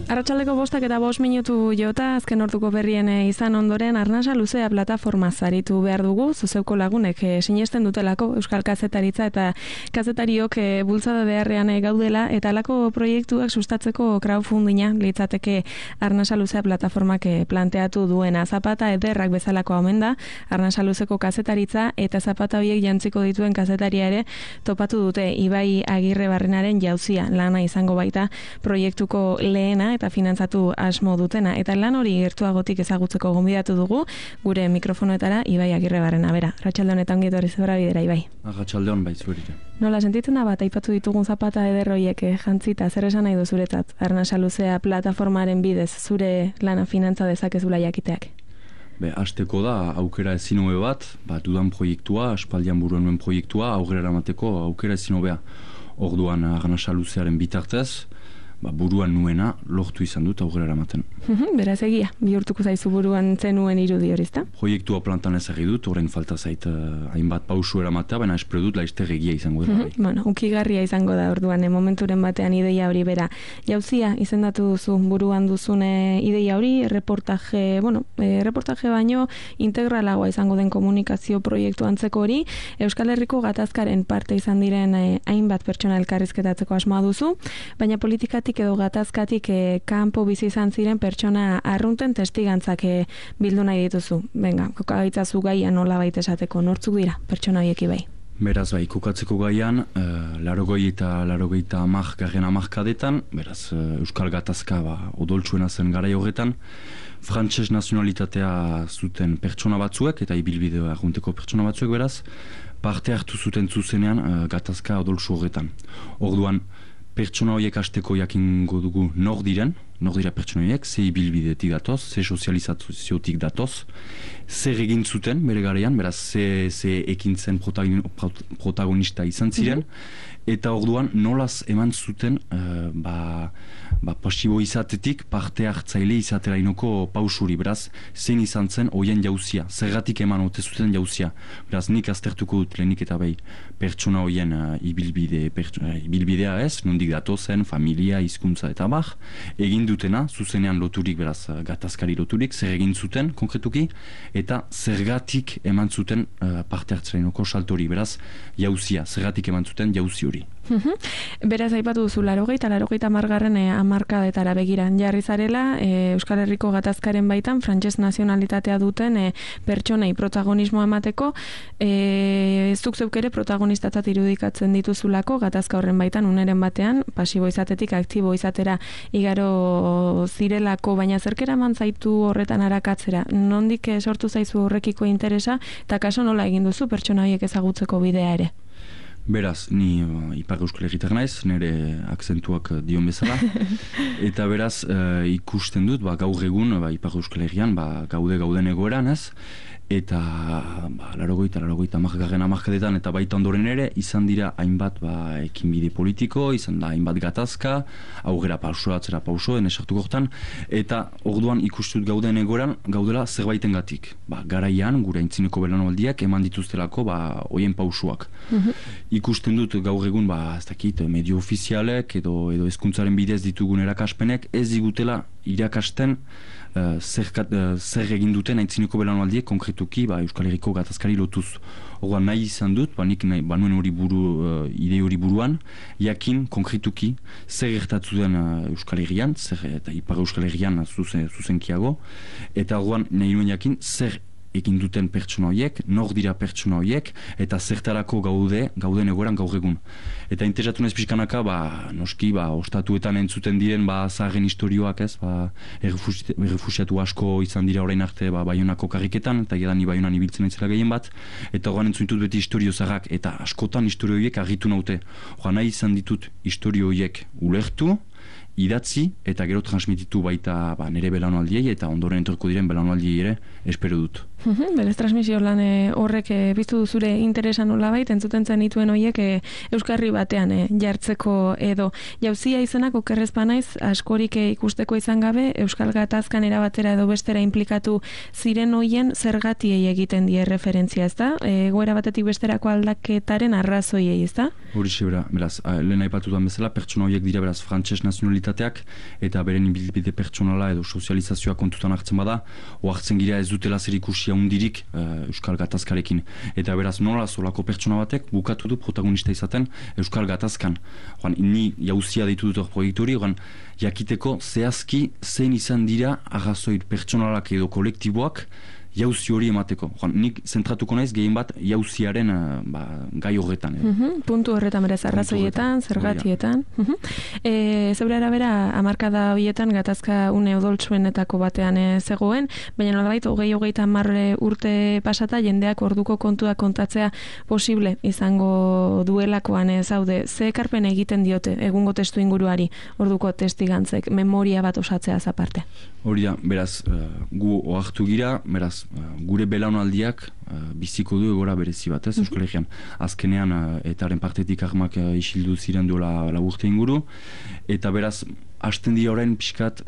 Arratsaldeko 5:05 jota, azken orduko berrien izan ondoren Arnasa Luzea plataforma zaritu behar dugu, zuzeuko lagunek sinesten dutelako Euskal Kazetaritza eta kazetariok bultzada beharrean gaudela, eta alako proiektuak sustatzeko crowdfundinga litzateke Arnasa Luzea plataformak planteatu duena. Zapata ederrak bezalako omen da, Arnasa Luzeko kazetaritza eta zapata horiek jantziko dituen kazetaria ere topatu dute. Ibai Agirre Barrenaren jauzia lana izango baita proiektuko lehena eta finantzatu asmo dutena, eta lan hori gertuagotik ezagutzeko gonbidatu dugu gure mikrofonoetara Ibai Agirre Barrena. Bera, arratsalde honetan ongi etorri zebra bidera, Ibai. Arratsalde hon bai zuerite. Nola sentitzen da bat aipatu ditugun zapata eder horiek jantzita, zer esan nahi du zuretzat Arnasa Luzea plataformaren bidez zure lana finantza dezakezula jakiteak? Hasteko da aukera ezin hobe bat, dudan proiektua, aspaldian buruan nuen proiektua, aurrera eramateko aukera ezin hobea. Orduan Arnasa Luzearen bitartez, buruan nuena lortu izan dut aurrera eramaten. Beraz egia, bihurtuko zaizu buruan zenuen irudi hori, ezta? Proiektua plantan ezagri dut, orain falta zait hainbat pausu eramatea, baina espero dut laizter egia izango dut. Bueno, ukigarria izango da orduan, momenturen batean ideia hori bera. Jauzia izendatu duzu buruan duzune ideia hori, reportaje baino integralagoa izango den komunikazio proiektu antzeko hori, Euskal Herriko gatazkaren parte izan diren hainbat pertsona elkarrizketatzeko asmoa duzu, baina politikatik edo gatazkatik kanpo bizi izan ziren pertsona arrunten testigantzak bildu nahi dituzu. Venga, kokagaitzazu gaia nola baita esateko, nortzuk dira pertsona horiek Ibai? Beraz, kokatzeko gaian, 80 eta 80 hamarkadetan, beraz, Euskal Gatazka odoltsuena zen garai horretan, frantses nazionalitatea zuten pertsona batzuek, eta ibilbide arrunteko pertsona batzuek, beraz, parte hartu zuten zuzenean gatazka odoltsu horretan. Orduan, pertsona horiek hasteko jakingo dugu nor dira pertsona horiek, ze ibilbidetik datoz, ze sozializaziotik datoz, zer egin zuten bere garaian, beraz ze ekintzen protagonista izan ziren, eta orduan nolaz eman zuten pasibo izatetik parte hartzaile izaterainoko pausuri, beraz zein izan zen hoien jauzia, zergatik eman ote zuten jauzia. Beraz nik aztertuko dut lehenik eta pertsona hoien ibilbidea ez, nondik datozen, familia, hizkuntza eta egin dutena, zuzenean loturik, beraz gatazkari loturik, zer egin zuten konkretuki, eta zergatik eman zuten parte hartzaileinoko saltori, beraz jauzia, zergatik eman zuten jauzi hori. Beraz aipatu duzu 80 margarren hamarkadetara begiran jarri zarela, Euskal Herriko gatazkaren baitan frantses nazionalitatea duten pertsonei protagonismoa emateko, zuk zeuk ere protagonistatzat irudikatzen dituzulako gatazka horren baitan uneren batean pasibo izatetik aktibo izatera igaro zirelako, baina zerkera eman zaitu horretan arakatzera, nondik sortu zaizu horrekiko interesa, eta kaso nola egin duzu pertsona horiek ezagutzeko bidea ere? Beraz, ni Ipar Euskal Herritar naiz, nire akzentuak dion bezala, eta beraz ikusten dut, gaur egun Ipar Euskal Herrian gauden egoeran ez, eta 80 hamarkadetan eta baita ondoren ere izan dira hainbat ekinbide politiko, izan da hainbat gatazka, aurrera pauso, atzera pauso, esartuko hortan, eta orduan ikustut gauden egoeran gaudela zerbaiten gatik. Garaian, gure aintzineko belaunaldiak eman dituztelako hoien pausuak. Ikusten dut gaur egun ez dakit medio ofizialek edo hezkuntzaren bidez ditugun erakaspenek ez digutela irakasten zer egin duten aintzineko belaunaldiek konkretuki Euskal Herriko gatazkari lotuz. Orduan nahi izan dut, nik banuen hori ide hori buruan, jakin konkretuki zer gertatu den Euskal Herrian, eta Ipar Euskal Herrian zuzenkiago, eta orduan nahi nuen jakin zer egin duten pertsona horiek, nor dira pertsona horiek, eta zertarako gauden egoeran gaur egun. Eta interesatu naiz pixkanaka, noski, ostatuetan entzuten diren zaharren historioak ez, errefusiatu asko izan dira orain arte Baionako karriketan, eta edan Baionan ibiltzen aitzela gehien bat, eta horren entzunitut beti historio zaharrak, eta askotan historio horiek argitu naute. Horra nahi izan ditut historio horiek ulertu, idatzi eta gero transmititu baita nire belaunaldiei eta ondoren etorko diren belaunaldiei ere espero dut. Berez transmisio lan horrek biztu zure interesa nolabait, entzuten zen dituen horiek Euskarri batean jartzeko edo jauzia izenak okerrez banaiz askorik ikusteko izan gabe Euskal Gatazkan erabatera edo bestera implikatu ziren hoien zergatiei egiten die referentzia, ezta? Egoera batetik besterako aldaketaren arrazoiei, ezta? Horixe, beraz, lehen aipatutan bezala, pertsona horiek dira beraz frantses nazionalitateak eta beren ibilbide pertsonala edo sozializazioa kontutan hartzen bada, ohartzen gira ez dutela zer ikusia hundirik Euskal Gatazkarekin. Eta beraz nola solako pertsona batek bukatu du protagonista izaten Euskal Gatazkan. Ni jauzia deitu dut proiektu hori, jakiteko zehazki zein izan dira arrazoi pertsonalak edo kolektiboak jauzi hori emateko. Nik zentratuko naiz gehien bat jauziaren gai horretan. Puntu horretan berez, arrazoietan, zergatietan. Zeure arabera, hamarkada horietan gatazka une odoltsuenetako batean zegoen, baina nolabait, 20-30 urte pasata jendeak orduko kontua kontatzea posible izango duelakoan zaude. Ze ekarpen egiten diote egungo testu inguruari orduko testigantzek, memoria bat osatzea aparte? Hori da, beraz, gu ohartu gira, beraz, gure belaunaldiak biziko du egora berezi bat, Euskal Herrian. Azkenean, etaren partetik armak isildu ziren duela urte inguru, eta beraz, hasten dira orain pixkat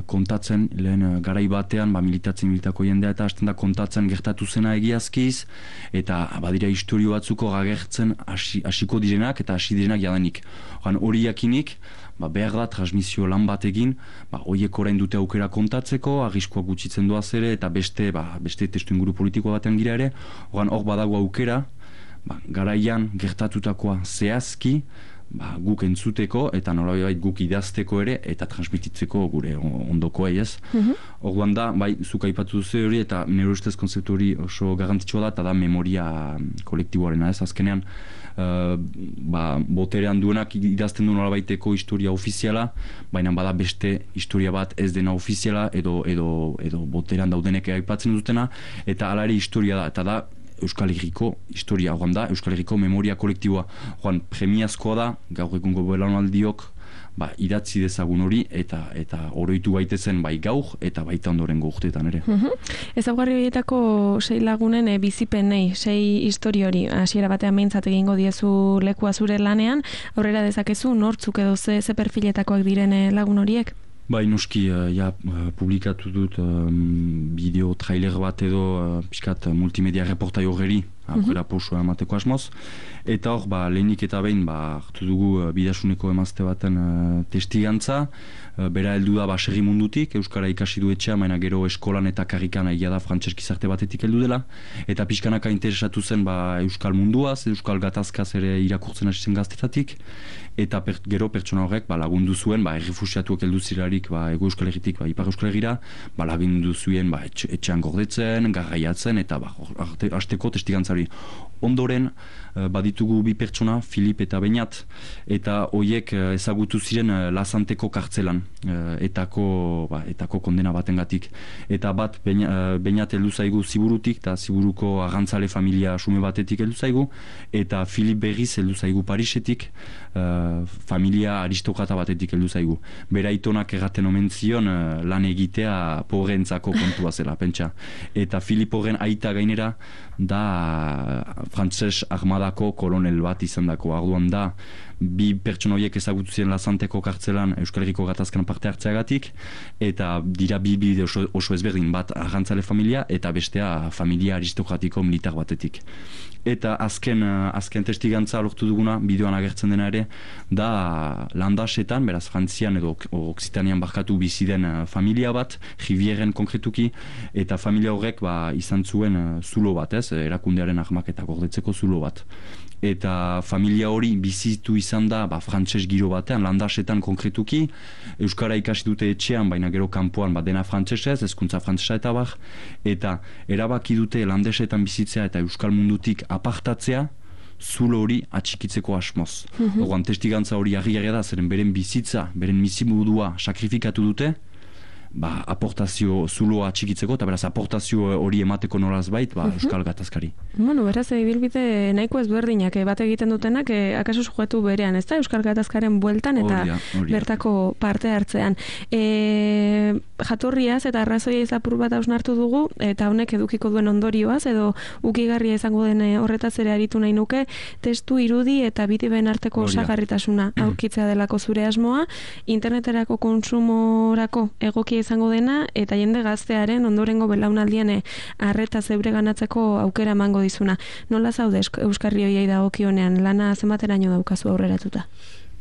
kontatzen, lehen garai batean, militako jendea, eta hasten da kontatzen gertatu zena egiazkiz, eta badira historio batzuko agertzen hasiko direnak, eta hasi direnak jadanik. Hori jakinik, behar da transmisio lan bat egin, horiek orain dute aukera kontatzeko, arriskuak gutxitzen doaz ere, eta beste testu inguru politiko batean gira ere, hor badago aukera, garaian gertatutakoa zehazki, guk entzuteko, eta nolabait guk idazteko ere, eta transmititzeko gure ondokoa ez. Orduan da, zuk aipatu duzu hori, eta nire ustez konzeptu hori oso garrantzitsua da, eta da memoria kolektiboarena ez, azkenean, boterean duenak idazten du nolabaiteko historia ofiziala, baina bada beste historia bat ez dena ofiziala edo boterean daudenek aipatzen dutena, eta hala ere historia da, eta da Euskal Herriko historia, Euskal Herriko memoria kolektiboa. Premiazkoa da, gaur egungo belaunaldiok idatzi dezagun hori eta oroitu gaitezen gaur eta baita ondorengo urteetan ere. Ezaugarri horietako 6 lagunen bizipenei, 6 histori hori, hasiera batean behintzat egingo diezu lekua zure lanean, aurrera dezakezu nortzuk edo ze perfiletakoak diren lagun horiek? Noski, publikatu dut bideo trailer bat edo pixkat multimedia reportai horreri aurrera pausua emateko asmoz. Eta hor, lehenik eta behin hartu dugu Bidasuneko emazte baten testigantza. Bera heldu da baserri mundutik, Euskara ikasi du etxea, baina gero eskolan eta karrikan egia da frantses gizarte batetik heldu dela. Eta pixkanaka interesatu zen Euskal munduaz, Euskal gatazkaz ere irakurtzen hasi zen gaztetatik. Eta gero pertsona horrek lagundu zuen, errefusiatuak heldu zirarik Ego Euskal Herritik Ipar Euskal Herrira, lagundu zuen etxean gordetzen, garraiatzen, eta hasteko testigantzari. Ondoren, baditugu bi pertsona, Filip eta Beñat, eta hoiek ezagutu ziren Lazanteko kartzelan, etako kondena batengatik. Eta bat, Beñat heldu zaigu Ziburutik, eta Ziburuko arrantzale familia sume batetik heldu zaigu, eta Filip berriz heldu zaigu Parisetik, familia aristokrata batetik heldu zaigu. Bera itonak erraten omen zion lan egitea pobreentzako kontua zela, pentsa. Eta Filip horren aita gainera da frantses armadako kolonel bat izan dako. Arduan da, bi pertsona horiek ezagutu ziren Lazanteko kartzelan Euskal Herriko gatazkan parte hartzeagatik, eta dira bi oso ezberdin, bat arrantzale familia eta bestea familia aristokratiko militar batetik. Eta azken testigantza lortu duguna, bideoan agertzen dena ere, da landasetan, beraz Frantzian edo Oksitanian barkatu bizi den familia bat, Rivieren konkretuki, eta familia horrek izan zuen zulo bat, erakundearen armak eta gordetzeko zulo bat. Eta familia hori bizitu izan da frantses giro batean, landasetan konkretuki, Euskara ikasi dute etxean, baina gero kanpoan dena frantsesez, hezkuntza frantsesa eta eta erabaki dute landasetan bizitzea eta Euskal mundutik apartatzea, zulo hori atxikitzeko asmoz. Orduan testigantza hori harrigarria da, zeren beren bizitza, beren bizimodua sakrifikatu dute, aportazio zuloa txikitzeko, eta beraz aportazio hori emateko nolaz bait, Euskal gatazkari. Beraz, ibilbide nahiko ezberdinak bat egiten dutenak, akaso sujetu berean, ez da, Euskal gatazkaren bueltan eta bertako parte hartzean. Jatorriaz eta arrazoia izapur bat hausnartu dugu, eta honek edukiko duen ondorioaz, edo ukigarria izango den horretaz ere aritu nahi nuke, testu irudi eta bidiben arteko osagarritasuna aurkitzea delako zure asmoa, interneterako konsumorako egokia izango dena, eta jende gaztearen ondorengo belaunaldian arreta zeure ganatzeko aukera emango dizuna. Nola zaude Euskarri hoiei dagokionean, lana zenbateraino daukazu aurreratuta?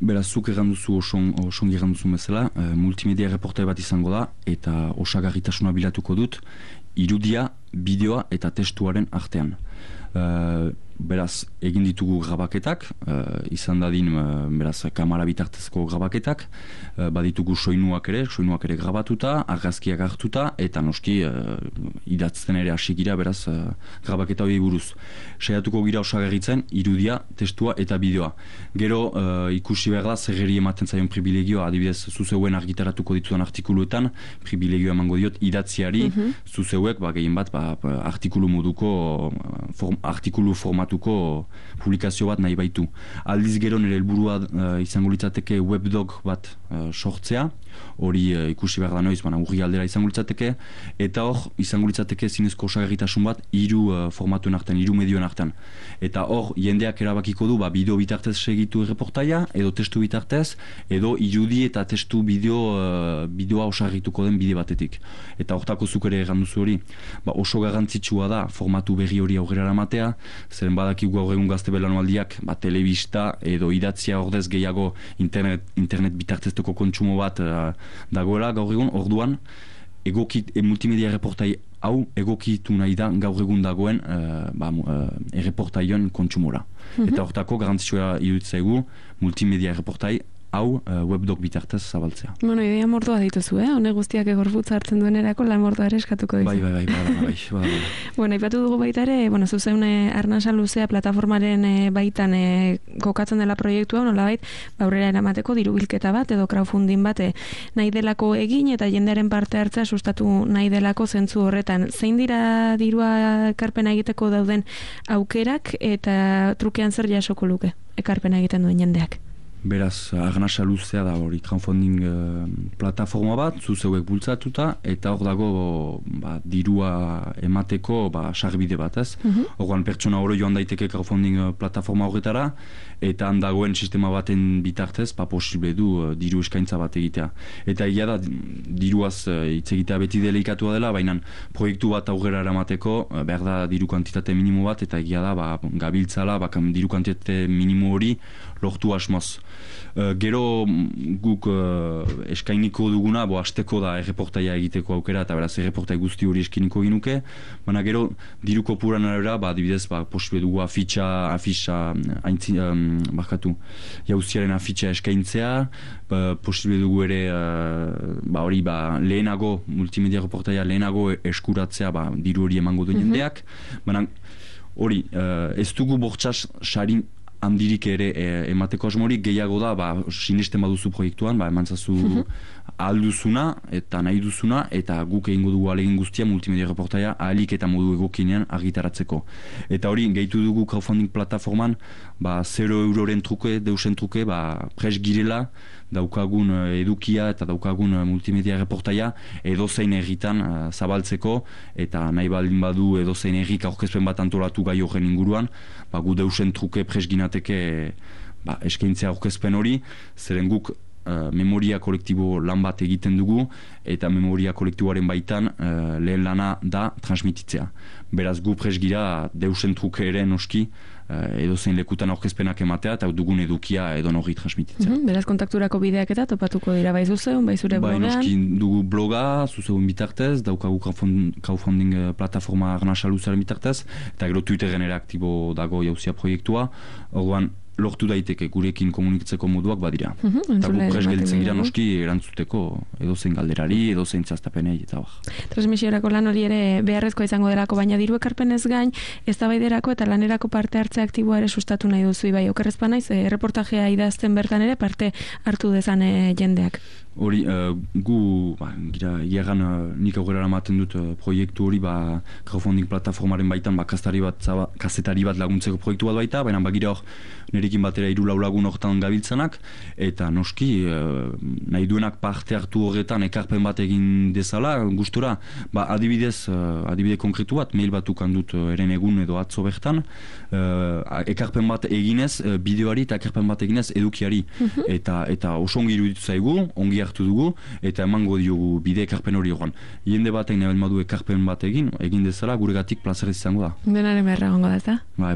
Beraz, zuk erranduzu osongi erranduzu bezala, multimedia reportai bat izango da, eta osagarritasuna bilatuko dut, irudia, bideoa eta testuaren artean. Beraz, egin ditugu grabaketak, izan dadin, beraz, kamara bitartezko grabaketak, baditugu soinuak ere grabatuta, argazkiak hartuta, eta noski idatzten ere hasi gira, beraz, grabaketa hori buruz. Saiatuko gira osagarritzen, irudia, testua eta bideoa. Gero, ikusi behar da, zerreri ematen zaion privilegioa, adibidez, zuzeuen argitaratuko ditudan artikuluetan, privilegioa emango diot, idatziari, zuzeuek, gehien bat, artikulu moduko, artikulu formatuko publikazio bat nahi baitu. Aldiz gero nire helburua izango litzateke webdog bat sortzea, hori ikusi behar da noiz, urri aldera izango litzateke, eta hor izango litzateke zinezko osagarritasun bat hiru formatuen artean, hiru medioen artean. Eta hor jendeak erabakiko du bideo bitartez segitu erreportaia, edo testu bitartez, edo irudi eta testu bideoa osagarrituko den bide batetik. Eta hortako zuk ere erranduzu hori, oso garrantzitsua da formatu berri hori aurrera eramatea, zeren badakigu gaur egun gazte belanualdiak telebista edo idatzia ordez gehiago internet bitartezteko kontsumo bat dagoela gaur egun, orduan multimedia reportai hau egokitu nahi da gaur egun dagoen erreportaioen kontsumora. Eta hortako garantzioa iruditzaigu multimedia reportai hau webdog bitartez zabaltzea. Bueno, idea mordoa dituzu, Hone guztiak egorputza hartzen duenerako lan mordoa ere eskatuko dizu. Bai. Bueno, aipatu dugu baita ere, zuzeune Arnasa Luzea plataformaren baitan kokatzen dela proiektua, nolabait, aurrera eramateko diru bilketa bat edo crowdfunding bat nahi delako egin eta jendearen parte hartzea sustatu nahi delako zentzu horretan. Zein dira dirua ekarpena egiteko dauden aukerak eta trukean zer jasoko luke ekarpena egiten duen jendeak? Beraz, Arnasa Luzea da hori crowdfunding plataforma bat, zuzeuek bultzatuta, eta hor dago dirua emateko sarbide bat, ez? Horrean pertsona oro joan daiteke crowdfunding plataforma horretara, eta handagoen sistema baten bitartez, posible du diru eskaintza bat egitea. Eta egia da, diruaz hitz egitea beti delikatua dela, baina proiektu bat aurrera eramateko, behar da diru kantitate minimo bat, eta egia da, gabiltzala, diru kantitate minimo hori lortu asmoz. Gero guk eskainiko duguna, hasteko da erreportaia egiteko aukera, eta beraz erreportai guzti hori eskainiko ginuke, baina gero diru kopuran arabera, adibidez, posible dugu jauziaren afitxa eskaintzea, posible dugu ere lehenago, multimedia reportaia lehenago eskuratzea diru hori emango du jendeak, baina hori, ez dugu bortxas sarin handirik ere emateko asmorik, gehiago da, sinesten baduzu proiektuan, emantzazu alduzuna eta nahi duzuna, eta guk egingo dugu alegin guztia multimedia reportaia ahalik eta modu egokinean argitaratzeko. Eta hori, gehitu dugu crowdfunding plataforman, 0 euroren truke, deusen truke, pres girela, daukagun edukia eta daukagun multimedia reportaia edozein herritan zabaltzeko, eta nahi baldin badu edozein herrik aurkezpen bat antolatu gai horren inguruan, gu deusen truke presginateke eskaintzea aurkezpen hori, zeren guk memoria kolektibo lan bat egiten dugu, eta memoria kolektiboaren baitan lehen lana da transmititzea. Beraz gu presgira deusen truke ere noski, edozein lekutan aurkezpenak ematea eta dugun edukia edon hori transmititzea. Beraz kontakturako bideak eta topatuko dira bai zuzeun, bai zure blogean? Bai, noski dugu bloga, zuzeun bitartez, daukagu crowdfunding plataforma Arnasa Luzearen bitartez, eta gero Twitteren ere aktibo dago jauzia proiektua, orduan lortu daiteke gurekin komunikatzeko moduak badira. Eta guk pres gelditzen gira noski erantzuteko edozein galderari, edozein txastapenei eta Transmisiorako lan hori ere beharrezkoa izango delako, baina diru ekarpenez gain, eztabaiderako eta lanerako parte hartze aktiboa ere sustatu nahi duzu, bai, okerrezpa naiz, erreportajea idazten bertan ere parte hartu dezan jendeak. Hori, gu, iagan nik aurrera ematen dut proiektu hori, crowdfunding plataformaren baitan, kazetari bat laguntzeko proiektu bat baita, baina bagira hor, nerekin batera 3-4 lagun hortan gabiltzanak, eta noski, nahi duenak parte hartu horretan ekarpen bat egin dezala, gustura, adibide konkretu bat, mail bat ukandut eren egun edo atzo bertan, ekarpen bat eginez, bideoari eta ekarpen bat eginez edukiari, eta oso ongi iruditu zaigu, ongi hartu dugu, eta emango diogu bide ekarpen hori horren. Jende batek nahi badu ekarpen bat egin dezala, guregatik plazerez izango da. Denaren beharra gongo da, ezta? Bai,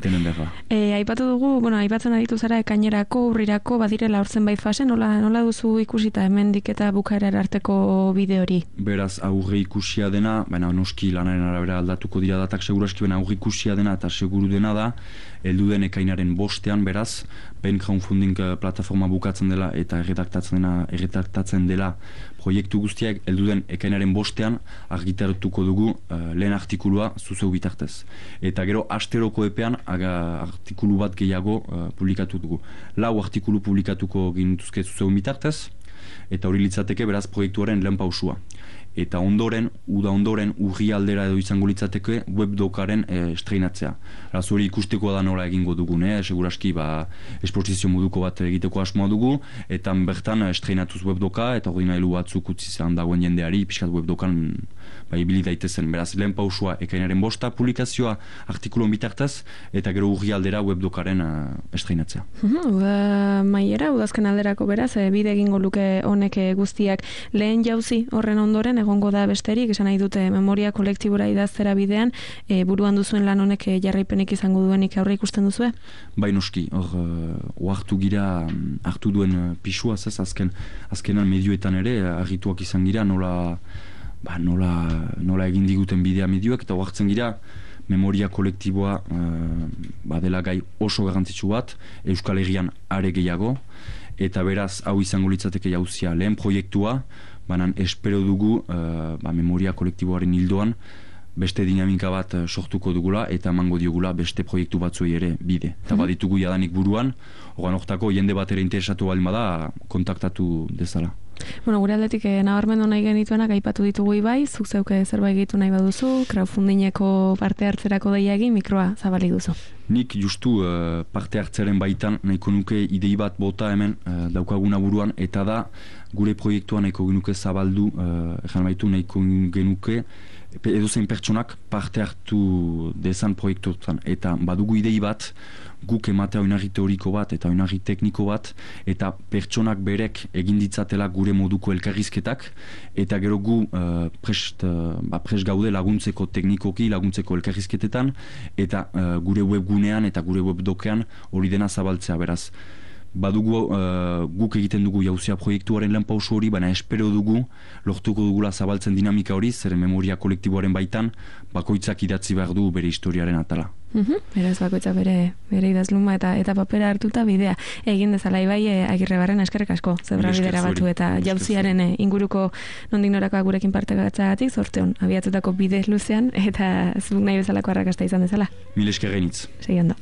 denen beharra. Aipatu dugu bueno, aipatzen aditu zara ekainerako, urrirako, badirela hortzen bai fase, nola duzu ikusita hemendik eta bukaerara arteko bide hori? Beraz, aurre ikusia dena, baina noski lanaren arabera aldatuko dira datak seguraski, baina aurre ikusia dena eta seguru dena da, heldu den ekainaren bostean, beraz, ben crowdfunding plataforma bukatzen dela eta erredaktatzen dela proiektu guztiak heldu den ekainaren bostean argitaratuko dugu lehen artikulua zuzeu bitartez. Eta gero asteroko epean artikulu bat gehiago publikatu dugu. 4 artikulu publikatuko ginituzke zuzeu bitartez, eta hori litzateke beraz proiektuaren lehen pausua. Eta ondoren, urri aldera edo izango litzateke webdokaren estreinatzea. Hori ikusteko da nola egingo dugun, seguraski esposizio moduko bat egiteko asmoa dugu, eta bertan estreinatuz webdoka, eta hori nahilu batzuk utzi zan dagoen jendeari, pixkat webdokan ibili daitezen. Beraz, lehen pausua ekainaren bosta, publikazioa artikulon bitartez, eta gero urri aldera webdokaren estreinatzea. Maiera, udazken alderako beraz, bide egingo luke honek guztiak lehen jauzi horren ondoren, egongo da besterik, esan nahi dute memoria kolektibora idaztera bidean, buruan duzuen lan honek jarraipenik izango duenik aurre ikusten duzue? Bai noski, hartu gira, hartu duen pisua, azkenan medioetan ere, argituak izan gira, nola egin diguten bidea medioek, eta hartzen gira, memoria kolektiboa dela gai oso garrantzitsu bat, Euskal Herrian are gehiago, eta beraz, hau izango litzateke jauzia lehen proiektua, banan espero dugu memoria kolektiboaren hildoan beste dinamika bat sortuko dugula eta emango diogula beste proiektu batzuei ere bide. Eta baditugu jadanik buruan, horan hortako jende bat ere interesatu baldin bada kontaktatu dezala. Bueno, gure aldetik nabarmendu nahi genituenak aipatu ditugu bai, zuk zeuke zerbait egitu nahi baduzu, crowdfundingeko parte hartzerako deia egin, mikroa zabalik duzu. Nik justu parte hartzaren baitan nahiko nuke idei bat bota hemen daukaguna buruan, eta da gure proiektua nahiko genuke zabaldu, nahiko genuke edozein pertsonak parte hartu dezan proiektuetan. Eta badugu idei bat, guk ematea oinarri teoriko bat eta oinarri tekniko bat, eta pertsonak berek egin ditzatela gure moduko elkarrizketak, eta gero gu prest gaude laguntzeko teknikoki, laguntzeko elkarrizketetan, eta gure webgunean eta gure webdokean hori dena zabaltzea, beraz. Badugu guk egiten dugu jauzia proiektuaren lehen pausu hori, baina espero dugu lortuko dugula zabaltzen dinamika hori, zeren memoria kolektiboaren baitan bakoitzak idatzi behar du bere historiaren atala. Beraz bakoitzak bere idazluma eta papera hartuta bidea egin dezala Ibai Agirrebarren, eskerrik asko zebra bidera batu eta jauziaren inguruko nondik norakoak gurekin parte gatzagatik, zorte hon abiatutako bide luzean eta zuk nahi bezalako arrakasta izan dezala. Mil esker gainitz. Segi ondo.